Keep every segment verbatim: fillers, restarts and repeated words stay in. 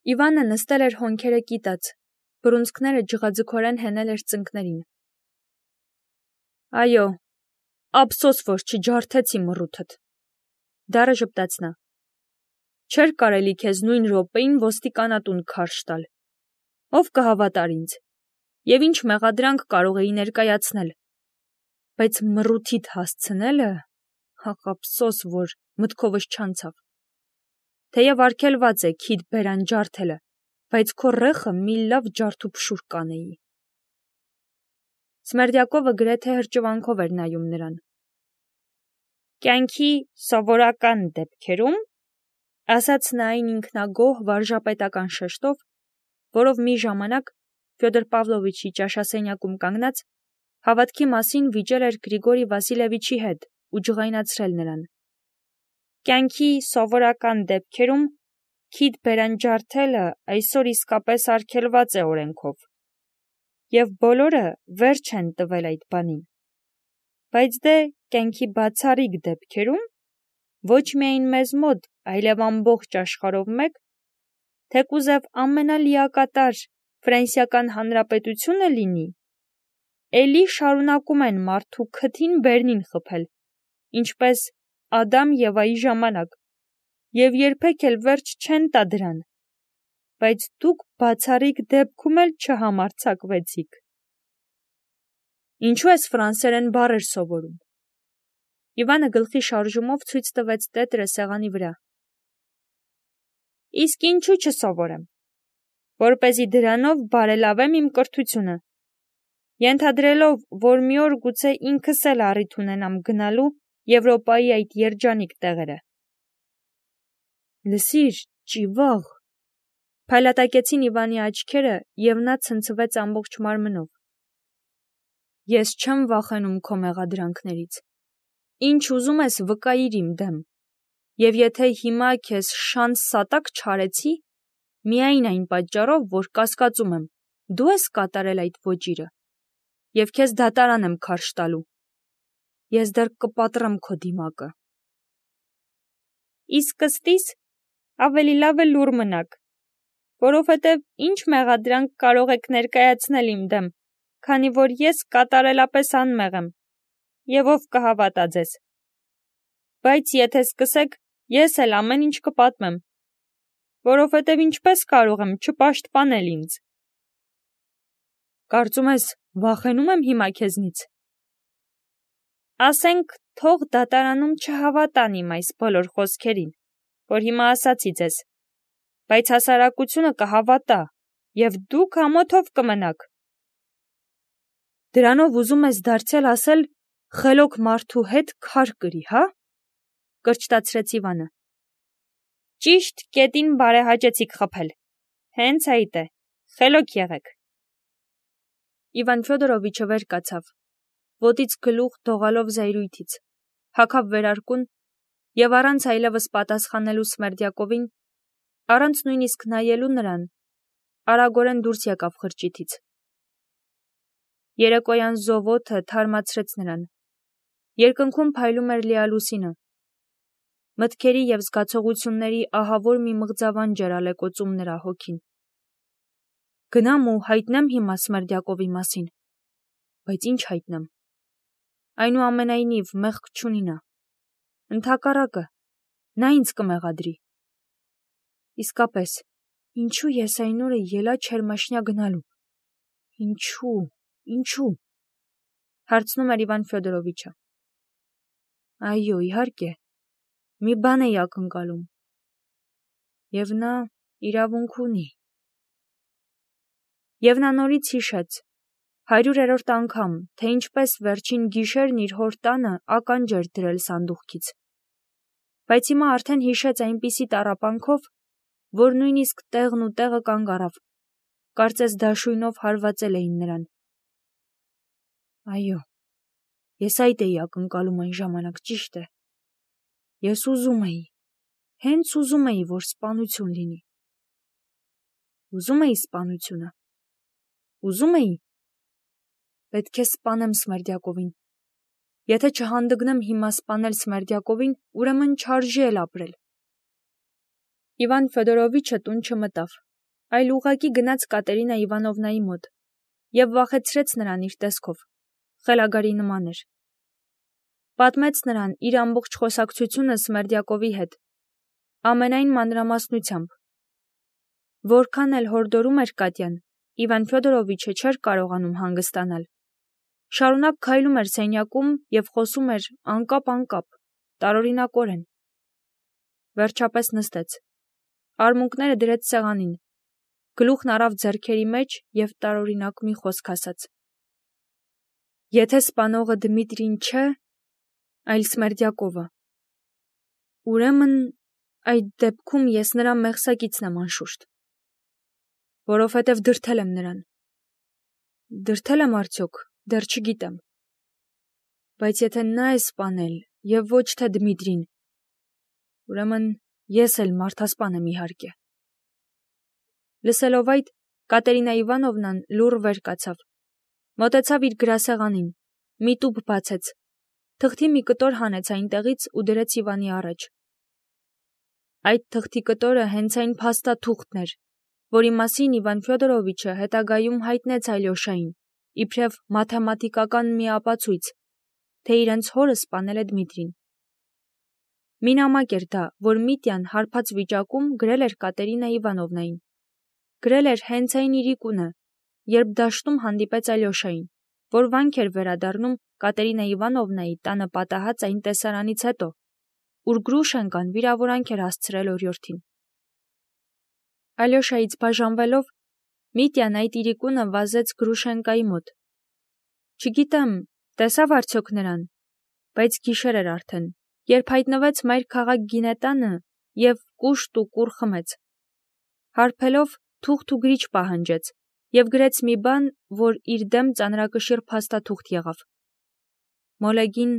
Իվանը նստել էր հոնքերը կիտած, բռունցքները ջղաձգորեն հենել էր ծնկներին։ Այո, ափսոս, որ չջարդեցի մռութդ, դառը ժպտաց նա։ Չէր կարելի քեզ նույն րոպեին ոստիկանատուն քարշ տալ։ Ով կհավատար ինձ, և ինչ մեղադրանք կարող էի ներկայացնել, բայց մռութիդ հասցնելը, ահ ափսոս, որ մտքովս չանցավ։ Թեև արգելված է քիդ բերան ջարդելը, բայց քո ռեխը մի լավ ջարդուփշուր կանեի։ Սմերդյակովը գրեթե հրճվանքով էր նայում նրան։ Կյանքի սովորական դեպքերում, ասաց նա այն ինքնագոհ վարժապետական շեշտով, որով մի ժամանակ Ֆյոդոր Պավլովիչի ճաշասենյակում կանգնած հավատքի մասին վիճել էր Գրիգորի Վասիլևիչի հետ ու ջղայնացրել նրան։ Կյանքի սովորական դեպքերում քիդ բերան ջարդելը այսօր իսկապես արգելված է օրենքով, և բոլորը վերջ են տվել այդ բանին, բայց դե կյանքի բացառիկ դեպքերում, ոչ միայն մեզ մոտ, այլև ամբողջ աշխարհով մեկ, թեկուզև ամենալիակատար Ֆրանսիական Հանրապետությունը լինի, էլի շարունակում են մարդու քթին բերնին խփել, ինչպես Ադամ Եվայի ժամանակ, և երբեք էլ վերջ չեն տա դրան, բայց դուք բացառիկ դեպքում էլ չհամարձակվեցիք։ Ինչու ես ֆրանսերեն բառեր սովորում։ Իվանը գլխի շարժումով ցույց տվեց տետրը սեղանի վրա։ Իսկ ինչու չսովորեմ, որպեսզի դրանով բարելավեմ իմ կրթությունը, ենթադրելով, որ մի օր գուցե ինքս էլ առիթ ունենամ գնալու Եվրոպայի այդ երջանիկ տեղերը։ Լսիր, ճիվաղ, փայլատակեցին Իվանի աչքերը, և նա ցնցվեց ամբողջ մարմնով։ Ես չեմ վախենում քո մեղադրանքներից, ինչ ուզում ես վկայիր իմ դեմ, և եթե հիմա քեզ շանց սատակ չարեցի, միայն այն պատճառով, որ կասկածում եմ, դու ես կատարել այդ ոճիրը, և քեզ դատարան եմ քարշ տալու, ես դեռ կպատրեմ քո դիմակը։ Իսկ ըստիս ավելի լավ է լուռ մնաք, որովհետև ինչ մեղադրանք կարող եք ներկայացնել իմ դեմ, քանի որ ես կատարելապես անմեղ եմ, և ով կհավատա ձեզ։ Բայց եթե սկսեք, ես էլ ամեն ինչ կպատմեմ, որովհետև ինչպես կարող եմ չպաշտպանել ինձ։ Կարծում ես, վախենում եմ հիմա քեզնից։ Ասենք, թող դատարանում չհավատան իմ այս բոլոր խոսքերին, որ հիմա ասացի ձեզ, բայց հասարակությունը կհավատա, և դուք ամոթով կմնաք։ Դրանով ուզում ես դարձյալ ասել խելոք մարդու հետ քար կրի, հա՞, կրճտացրեց Իվանը։ Ճիշտ կետին բարեհաճեցիք խփել, հենց այդ է, խելոք եղեք։ Իվան Ֆյոդորովիչը վեր կացավ, ոտից գլուխ դողալով զայրույթից, հագավ վերարկուն և առանց այլևս պատասխանելու Սմերդյակովին, առանց նույնիսկ նայելու նրան, արագորեն դուրս եկավ խրճիթից։ Երեկոյան զովոթը թարմացրեց նրան, երկնքում փայլում էր լիալուսինը, մտքերի և զգացողությունների ահավոր մի մղձավանջ էր ալեկոծում նրա հոգին։ Գնամ ու հայտնեմ հիմա Սմերդյակովի մասին, բայց ինչ հայտնեմ, այնուամենայնիվ մեղք չունի նա, ընդհակառակը, նա ինձ կմեղադրի։ Իսկապես, ինչու ես այն օրը ելա Չերմաշնյա գնալու, ինչու, ինչու, հարցնում էր Իվան Ֆյոդորովիչը։ Այո, իհարկե, մի բան էի ակնկալում, և նա իրավունք ունի։ Եվ նա նորից հիշեց, հարյուրերորդ անգամ, թե ինչպես վերջին գիշերն իր հոր տանը ականջ էր դրել սանդուղքից, բայց հիմա արդեն հիշեց այնպիսի տառապանքով, որ նույնիսկ տեղն ու տեղը կանգ առավ, կարծես դաշույնով հարվածել էին նրան։ Այո, ես այդ էի ակնկալում այն ժամանակ, ճիշտ է։ Ես ուզում էի, հենց ուզում էի, որ սպանություն լինի։ Ուզում էի սպանությունը։ Ուզում էի։ Պետք է սպանեմ Սմերդյակովին։ Եթե չհանդգնեմ հիմա սպանել Սմերդյակովին, ուրեմն չարժի էլ ապրել։ Իվան Ֆյոդորովիչը տուն չմտավ, այլ ուղղակի գնաց Կատերինա Իվանովնայի մոտ և վախեցրեց նրան իր տեսքով, խելագարի նման էր։ Պատմեց նրան իր ամբողջ խոսակցությունը Սմերդյակովի հետ, ամենայն մանրամասնությամբ։ Որքան էլ հորդորում էր Կատյան, Իվան Ֆյոդորովիչը չէր կարողանում հանգստանալ։ Շարունակ քայլում էր սենյակում և խոսում էր անկապ-անկապ, տարօրինակորեն։ Վերջապես նստեց, արմունկները դրեց սեղանին, գլուխն առավ ձեռքերի մեջ և տարօրինակ մի խոսք ասաց. «Եթե սպանողը Դմիտրին չէ, այլ Սմերդյակովը, ուրեմն այդ դեպքում ես նրա մեղսակիցն եմ անշուշտ, որովհետև դրդել եմ նրան։ Դրդել եմ արդյոք, դեռ չգիտեմ, բայց եթե նա է սպանել և ոչ թե Դմիտրին, ուրեմն ես էլ մարդասպան եմ իհարկե»։ Լսելով այդ, Կատերինա Իվանովնան լուռ վեր կացավ, մոտեցավ իր գրասեղանին, մի տուփ բացեց, թղթի մի կտոր հանեց այնտեղից ու դրեց Իվանի առաջ։ Այդ թղթի կտորը հենց այն փաստաթուղթն էր, որի մասին Իվան Ֆյոդորովիչը հետագայում հայտնեց Ալյոշային, իբրև մաթեմատիկական մի ապացույց, թե իրենց հորը սպանել է Դմիտրին։ Մի նամակ էր դա, որ Միտյան հարբած վիճակում գրել էր Կատերինա Իվանովնային։ Գրել էր հենց այն իրիկունը, երբ դաշտում հանդիպեց Ալյոշային, որ վանք էր վերադառնում Կատերինա Իվանովնայի տանը պատահած այն տեսարանից հետո, ուր Գրուշենկան վիրավորանք էր հասցրել օրիորդին։ Ալյոշայից բաժանվելով, Միտյան այդ իրիկունը վազեց Գրուշենկայի մոտ։ Չգիտեմ, տեսավ արդյոք նրան, բայց գիշեր էր արդեն, երբ հայտնվեց մայրքաղաք Գինետանը և կուշտ ու կուռ խմեց։ Հարբելով, թուղթ ու գրիչ պահանջեց և գրեց մի բան, որ իր դեմ ծանրակշիռ փաստաթուղթ եղավ։ Մոլեգին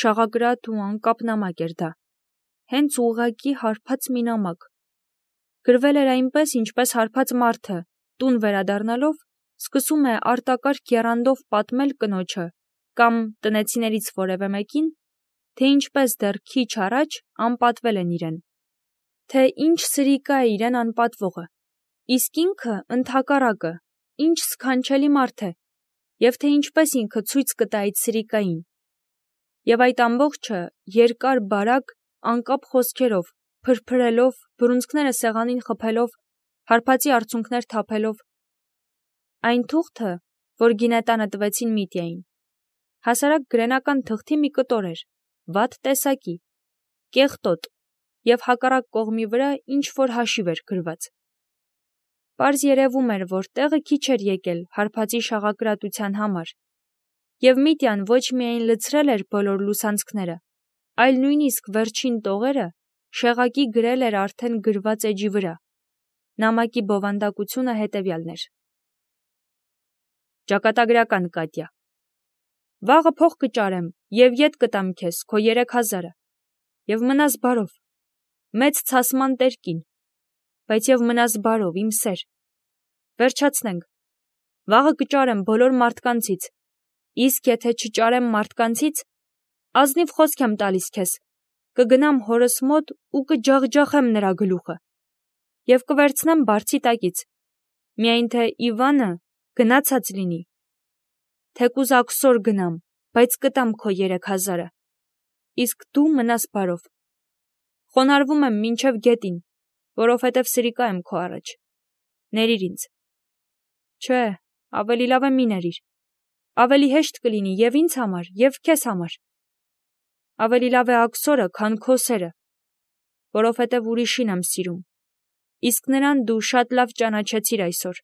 շաղակրատ ու անկապ նամակ էր դա, հենց ուղղակի հարբած մի նամակ։ Գրվել էր այնպես, ինչպես հարբած մարդը, տուն վերադառնալով, սկսում է արտակարգ եռանդով պատմել կնոջը կամ տնեցիներից որևէ մեկին, թե ինչպես դեռ քիչ առաջ անպատվել են իրեն, թե ինչ սրիկա է իրեն անպատվողը, իսկ ինքը ընդհակառակը, ինչ սքանչելի մարդ է, և թե ինչպես ինքը ցույց կտա այդ սրիկային։ Եվ այդ ամբողջը երկար-բարակ, անկապ խոսքերով, փրփրելով, բռունցքները սեղանին խփելով, հարբածի արցունքներ թափելով։ Այն թուղթը, որ Գինետանը տվեցին Միտյային, հասարակ գրենական թղթի մի կտոր էր, վատ տեսակի, կեղտոտ, և հակառակ կողմի վրա ինչ-որ հաշիվ էր գրված։ Պարզ երևում էր, որ տեղը քիչ էր եկել հարբածի շաղակրատության համար, և Միտյան ոչ միայն լցրել էր բոլոր լուսանցքները, այլ նույնիսկ վերջին տողերը շեղակի գրել էր արդեն գրված էջի վրա։ Նամակի բովանդակությունը հետևյալն էր. Ճակատագրական Կատյա, վաղը փող կճարեմ և ետ կտամ քեզ քո երեք հազարը, և մնաս բարով, մեծ ցասման տեր կին, բայց և մնաս բարով, իմ սեր։ Վերջացնենք, վաղը կճարեմ բոլոր մարդկանցից, իսկ եթե չճարեմ մարդկանցից, ազնիվ խոսք եմ տալիս քեզ, կգնամ հորս մոտ ու կջախջախեմ նրա գլուխը և կվերցնեմ բարձի տակից, միայն թե Իվանը գնացած լինի, թեկուզ աքսոր գնամ, բայց կտամ քո երեք հազարը, իսկ դու մնաս բարով։ Խոնարհվում եմ մինչև գետին, որովհետև սրիկա եմ քո առաջ, ներիր ինձ։ Չէ, ավելի լավ է մի ներիր, ավելի հեշտ կլինի և ինձ համար, և քեզ համար։ Ավելի լավ է աքսորը, քան քո սերը, որովհետև ուրիշին եմ սիրում, իսկ նրան դու շատ լավ ճանաչեցիր այսօր,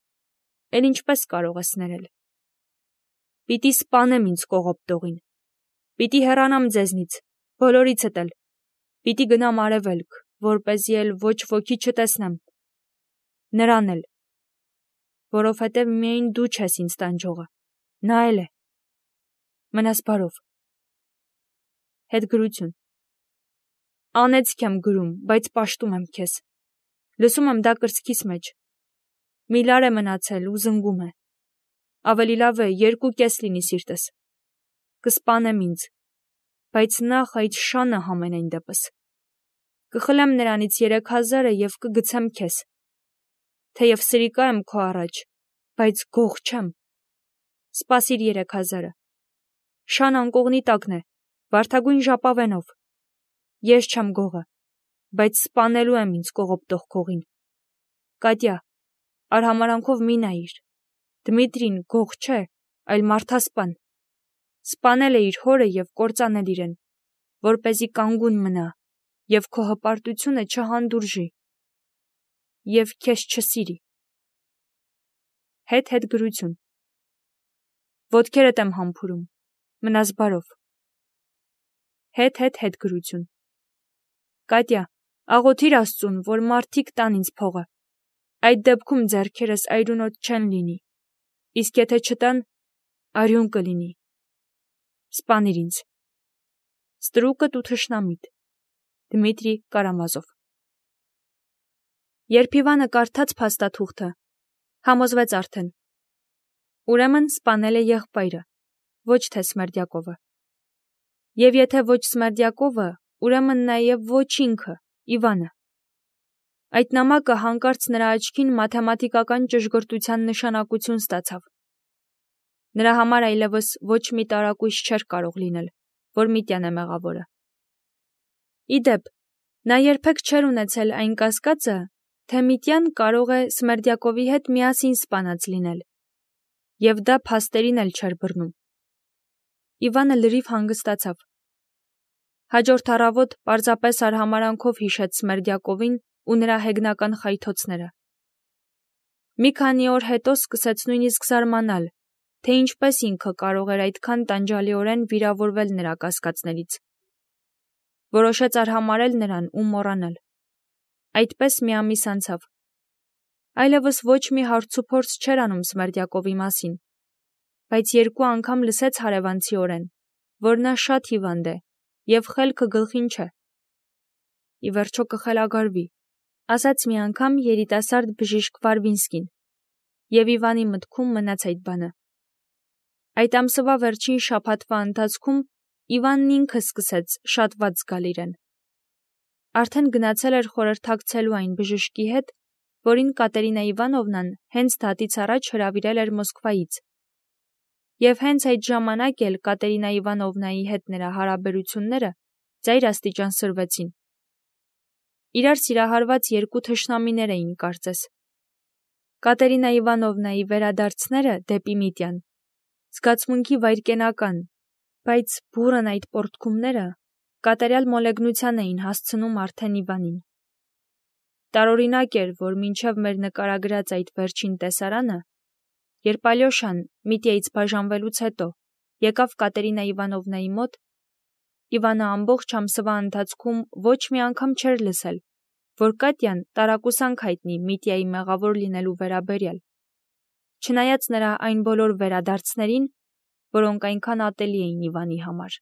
էլ ինչպես կարող ես ներել։ Պիտի սպանեմ ինձ կողոպտողին, պիտի հեռանամ ձեզնից, բոլորիցդ էլ, պիտի գնամ արևելք, որպեսզի էլ ոչ ոքի չտեսնեմ, նրան էլ, որովհետև միայն դու չես ինձ տանջողը, նա էլ է։ Մնաս բարով։ Հետգրություն։ Անեծք եմ գրում, բայց պաշտում եմ քեզ, լսում եմ դա կրծքիս մեջ, մի լար է մնացել ու զնգում է, ավելի լավ է երկու կես լինի սիրտս, կսպանեմ ինձ, բայց նախ այդ շանը համենայն դեպս, կխլեմ նրանից երեք հազարը և կգցեմ քեզ, թեև սրիկա եմ քո առաջ, բայց գող չեմ։ Սպասիր երեք հազարը։ Շան անկողնի տակն է, վարդագույն ժապավենով։ Ես չեմ գողը, բայց սպանելու եմ ինձ կողոպտող քողին։ Կատյա, արհամարանքով մի նայիր։ Դմիտրին գող չէ, այլ մարդասպան։ Սպանել է իր հորը և կործանել իրեն, որպեսզի կանգուն մնա և քո հպարտությունը չհանդուրժի և քեզ չսիրի։ Հետ-հետ գրություն։ Ոտքերդ եմ համբուրում, մնաս բարով։ Հետ-հետ հետ գրություն։ Կատյա, աղոթիր Աստծուն, որ մարդիկ տան ինձ փողը։ Այդ դեպքում ձեռքերս այրունոտ չեն լինի, իսկ եթե չտան, արյուն կլինի։ Սպանիր ինձ։ Ստրուկդ ու թշնամիդ։ Դմիտրի Կարամազով։ Երբ Իվանը կարդաց փաստաթուղթը, համոզվեց արդեն։ Ուրեմն սպանել է եղբայրը, ոչ թե Սմերդյակովը։ Եվ եթե ոչ Սմերդյակովը, ուրեմն նաև ոչ ինքը, Իվանը։ Այդ նամակը հանկարծ նրա աչքին մաթեմատիկական ճշգրտության նշանակություն ստացավ։ Նրա համար այլևս ոչ մի տարակույս չէր կարող լինել, որ Միտյան է մեղավորը։ Ի դեպ, նա երբեք չէր ունեցել այն կասկածը, թե Միտյան կարող է Սմերդյակովի հետ միասին սպանած լինել, և դա փաստերին էլ չէր բռնում։ Իվանը լրիվ հանգստացավ։ Հաջորդ առավոտ պարզապես արհամարանքով հիշեց Սմերդյակովին ու նրա հեգնական խայթոցները։ Մի քանի օր հետո սկսեց նույնիսկ զարմանալ, թե ինչպես ինքը կարող էր այդքան տանջալիորեն վիրավորվել նրա կասկածներից։ Որոշեց արհամարհել նրան ու մոռանալ։ Այդպես մի ամիս անցավ։ Այլևս ոչ մի հարցուփորձ չէր անում Սմերդյակովի մասին, բայց երկու անգամ լսեց հարևանցիորեն, որ նա շատ հիվանդ է և խելքը գլխին չէ։ Ի վերջո կխելագարվի, ասաց մի անգամ երիտասարդ բժիշկ Վարվինսկին, և Իվանի մտքում մնաց այդ բանը։ Այդ ամսվա վերջին շաբաթվա ընթացքում Իվանն ինքը սկսեց շատ վատ զգալ իրեն։ Արդեն գնացել էր խորհրդակցելու այն բժշկի հետ, որին Կատերինա Իվանովնան հենց դատից առաջ հրավիրել էր Մոսկվայից։ Եվ հենց այդ ժամանակ էլ Կատերինա Իվանովնայի հետ նրա հարաբերությունները ծայր աստիճան սրվեցին։ Իրար սիրահարված երկու թշնամիներ էին կարծես։ Կատերինա Իվանովնայի վերադարձները դեպի Միտյան, զգացմունքի վայրկենական, բայց բուռն այդ պոռթկումները կատարյալ մոլեգնության էին հասցնում արդեն Իվանին։ Տարօրինակ էր, որ մինչև մեր նկարագրած այդ վերջին տեսարանը, երբ Ալյոշան Միտյայից բաժանվելուց հետո եկավ Կատերինա Իվանովնայի մոտ, Իվանը ամբողջ ամսվա ընթացքում ոչ մի անգամ չէր լսել, որ Կատյան տարակուսանք հայտնի Միտյայի մեղավոր լինելու վերաբերյալ, չնայած նրա այն բոլոր վերադարձներին, որոնք այնքան ատելի էին Իվանի համար։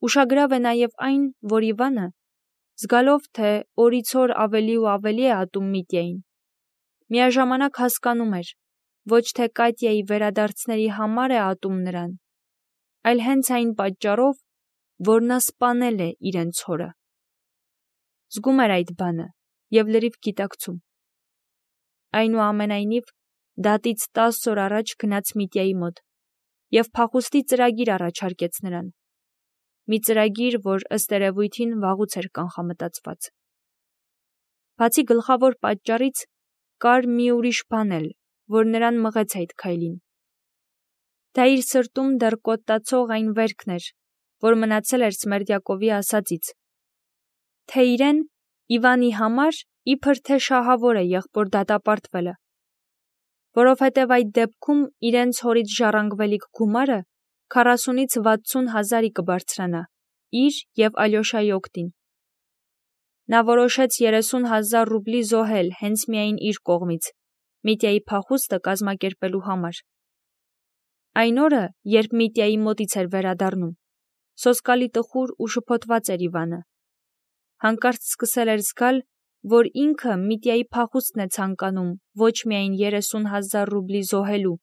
Ուշագրավ է նաև այն, որ Իվանը, զգալով, թե օրից օր ավելի ու ավելի է ատում Միտյային, միաժամանակ հասկանում էր, ոչ թե Կատյայի վերադարձների համար է ատում նրան, այլ հենց այն պատճառով, որ նա սպանել է իրենց հորը։ Զգում էր այդ բանը և լրիվ գիտակցում։ Այնուամենայնիվ, դատից տասը օր առաջ գնաց Միտյայի մոտ և փախուստի ծրագիր առաջարկեց նրան։ Մի ծրագիր, որ ըստ երևույթին վաղուց էր կանխամտածված։ Բացի գլխավոր պատճառից, կար մի ուրիշ բան էլ, որ նրան մղեց այդ քայլին։ Դա իր սրտում դեռ կոտտացող այն վերքն էր, որ մնացել էր Սմերդյակովի ասածից, թե իրեն Իվանի համար իբր թե շահավոր է եղբոր դատապարտվելը, որովհետև այդ դեպքում իրենց հորից ժառանգվելիք գումարը քառասունից վաթսուն հազարի կբարձրանա իր և Ալյոշայի օգտին։ Նա որոշեց երեսուն հազար ռուբլի զոհել հենց միայն իր կողմից, Միտյայի փախուստը կազմակերպելու համար։ Այն օրը, երբ Միտյայի մոտից էր վերադառնում, սոսկալի տխուր ու շփոթված էր Իվանը։ Հանկարծ սկսել էր զգալ, որ ինքը Միտյայի փախուստն է ցանկանում ոչ միայն երեսուն հազար ռուբլի զոհելու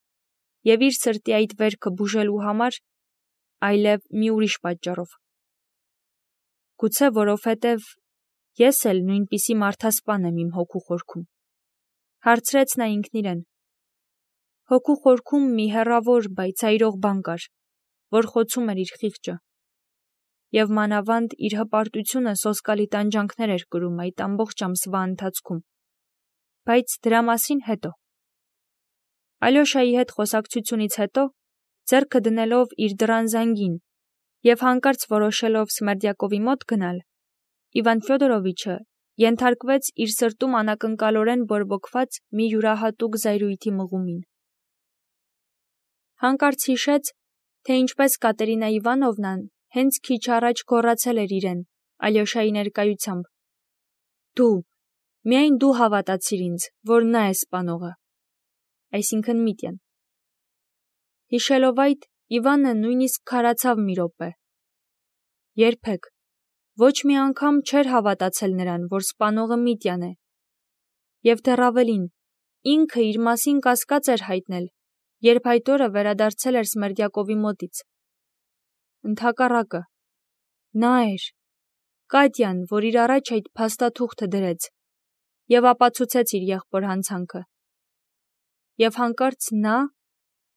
և իր սրտի այդ վերքը բուժելու համար, այլև մի ուրիշ պատճառով։ Գուցե որովհետև ես էլ նույնպիսի մարդասպան եմ իմ հոգու խորքում։ Հարցրեց նա ինքն իրեն։ Հոգու խորքում մի հեռավոր, բայց այրող բան կար, որ խոցում էր իր խիղճը, և մանավանդ իր հպարտությունը սոսկալի տանջանքներ էր կրում այդ ամբողջ ամսվա ընթացքում, բայց դրա մասին հետո։ Ալյոշայի հետ խոսակցությունից հետո, ձեռքը դնելով իր դռան զանգին և հանկարծ որոշելով Սմերդյակովի մոտ գնալ, Իվան Ֆյոդորովիչը ենթարկվեց իր սրտում անակնկալորեն բորբոքված մի յուրահատուկ զայրույթի մղումին։ Հանկարծ հիշեց, թե ինչպես Կատերինա Իվանովնան հենց քիչ առաջ գոռացել էր իրեն Ալյոշայի ներկայությամբ. «Դու, միայն դու հավատացիր ինձ, որ նա է սպանողը», այսինքն Միտյան։ Հիշելով այդ, Իվանը նույնիսկ քարացավ մի րոպե։ Երբեք, ոչ մի անգամ չէր հավատացել նրան, որ սպանողը Միտյան է, և դեռ ավելին, ինքը իր մասին կասկած էր հայտնել, երբ այդ օրը վերադարձել էր Սմերդյակովի մոտից։ Ընդհակառակը, նա էր, Կատյան, որ իր առաջ այդ փաստաթուղթը դրեց և ապացուցեց իր եղբոր հանցանքը։ Եվ հանկարծ նա,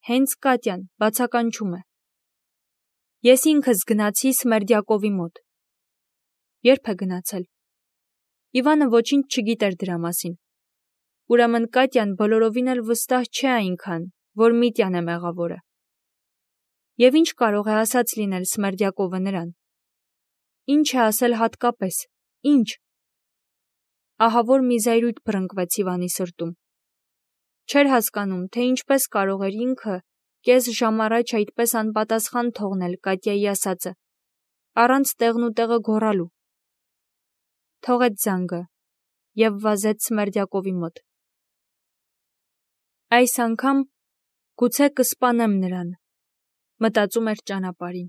հենց Կատյան, բացականչում է. «Ես ինքս գնացի Սմերդյակովի մոտ»։ Ե՞րբ է գնացել։ Իվանը ոչինչ չգիտեր դրա մասին։ Ուրեմն Կատյան բոլորովին էլ վստահ չէ այնքան, որ Միտյան է մեղավորը։ Եվ ինչ կարող է ասած լինել Սմերդյակովը նրան։ Ինչ է ասել հատկապես, ինչ։ Ահավոր մի զայրույթ բռնկվեց Իվանի սրտում։ Չէր հասկանում, թե ինչպես կարող էր ինքը կես ժամ առաջ այդպես անպատասխան թողնել Կատյայի ասածը, առանց տեղնուտեղը գոռալու։ Թողեց զանգը և վազեց Սմերդյակովի մոտ։ Այս անգամ գուցե կսպանեմ նրան, մտածում էր ճանապարհին։